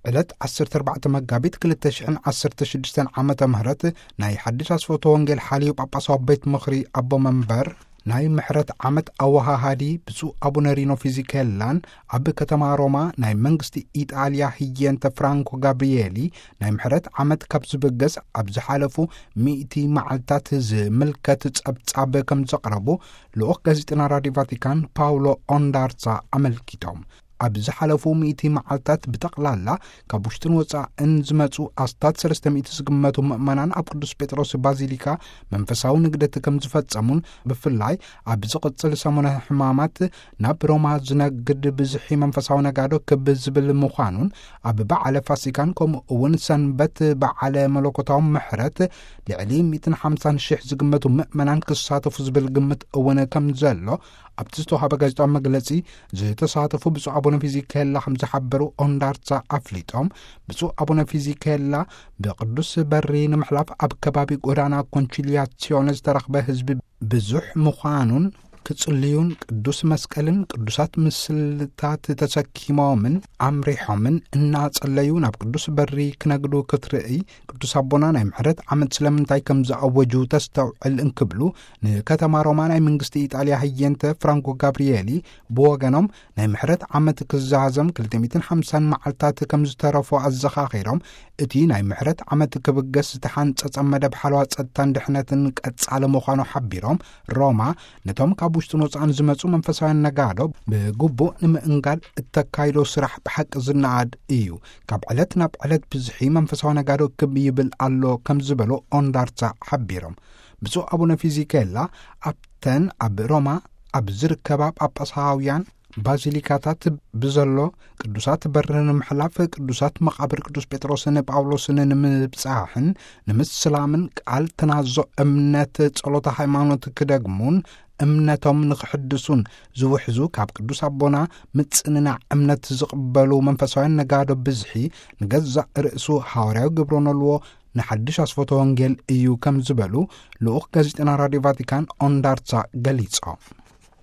ዕለት ዓሰርተ ኣርባዕተ መጋቢት ክልተ ሽሕን ዓሰርተ ሽዱሽተን ዓመተ ምህረት ናይ ሓድሽ ኣስፈቶ ወንጌል ሓልዩ ጳጳሳዊ ቤት ምኽሪ ኣቦ መንበር ናይ ምሕረት ዓመት ኣወሃሃዲ ብፁዕ ኣቡነ ሪኖ ፊዚኬላን ኣብ ከተማ ሮማ ናይ መንግስቲ ኢጣልያ ህየንተ ፍራንኮ ጋብሪኤሊ ናይ ምሕረት ዓመት ካብ ዝብገስ ኣብ ዝሓለፉ ሚእቲ መዓልታት ዝምልከት ጸብጻብ ከም ዘቕረቡ ልኡኽ ጋዜጠና ራድዮ ቫቲካን ፓውሎ ኦንዳርሳ ኣመልኪቶም። ኣብ ዝሓለፉ ሚእቲ መዓልታት ብጠቕላላ ካብ ውሽጥን ወጻእን ዝመጹ ኣስታት ሰለስተ ሚእቲ ዝግመቱ ምእመናን ኣብ ቅዱስ ጴጥሮስ ባዚሊካ መንፈሳዊ ንግደት ከም ዝፈጸሙን ብፍላይ ኣብ ዝቕጽል ሰሙነ ሕማማት ናብ ሮማ ዝነግድ ብዝሒ መንፈሳዊ ነጋዶ ክብ ዝብል ምዃኑን ኣብ በዓለ ፋሲካን ከምኡ እውን ሰንበት በዓለ መለኮታዊ ምሕረት ልዕሊ ሚእትን ሓምሳን ሽሕ ዝግመቱ ምእመናን ክሳተፉ ዝብል ግምት እውን ከም ዘሎ ኣብቲ ዝተዋሃበ ጋዜጣዊ መግለጺ ዝተሳተፉ ብፁዕ ኣቡነ ፊዚኬላ ከም ዝሓበሩ ኦንዳርሳ ኣፍሊጦም። ብፁዕ ኣቡነ ፊዚኬላ ብቅዱስ በሪ ንምሕላፍ ኣብ ከባቢ ጎዳና ኮንቺሊያሲዮን ዝተረኽበ ህዝቢ ብዙሕ ምዃኑን ክጽልዩን ቅዱስ መስቀልን ቅዱሳት ምስልታት ተሰኪሞምን ኣምሪሖምን እናጸለዩ ናብ ቅዱስ በሪ ክነግዱ ክትርእይ ቅዱስ ኣቦና ናይ ምሕረት ዓመት ስለምንታይ ከም ዝኣወጁ ተስተውዕል እንክብሉ ንከተማ ሮማ ናይ መንግስቲ ኢጣልያ ህየንተ ፍራንኮ ጋብሪኤሊ ብወገኖም ናይ ምሕረት ዓመት ክዛዘም ክልተ ሚእትን ሓምሳን መዓልታት ከም ዝተረፎ ኣዘኻኺሮም እቲ ናይ ምሕረት ዓመት ክብገስ ዝተሓንጸጸ መደብ ሓለዋ ጸጥታን ድሕነትን ቀጻሊ ምዃኑ ሓቢሮም ሮማ ነቶም ካብ ውሽጥን ወጻእን ዝመጹ መንፈሳውያን ነጋዶ ብግቡእ ንምእንጋድ እተካይዶ ስራሕ ብሓቂ ዝነኣድ እዩ። ካብ ዕለት ናብ ዕለት ብዝሒ መንፈሳዊ ነጋዶ ክብ ይብል ኣሎ ከም ዝበሉ ኦንዳርሳ ሓቢሮም። ብፁዕ ኣቡነ ፊዚኬላ ኣብተን ኣብ ሮማ ኣብ ዝርከባ ጳጳሳውያን ባዚሊካታት ብዘሎ ቅዱሳት በሪ ንምሕላፍ ቅዱሳት መቓብር ቅዱስ ጴጥሮስን ጳውሎስን ንምብጻሕን ንምስላምን ቃል ተናዞ እምነት ጸሎተ ሃይማኖት ክደግሙን እምነቶም ንኽሕድሱን ዝውሕዙ ካብ ቅዱስ ኣቦና ምጽንናዕ እምነት ዝቕበሉ መንፈሳውያን ነጋዶ ብዝሒ ንገዛእ ርእሱ ሃዋርያዊ ግብረ ነልዎ ንሓድሽ ኣስፈቶ ወንጌል እዩ ከም ዝበሉ ልኡኽ ጋዜጠና ራድዮ ቫቲካን ኦንዳርሳ ገሊጾም።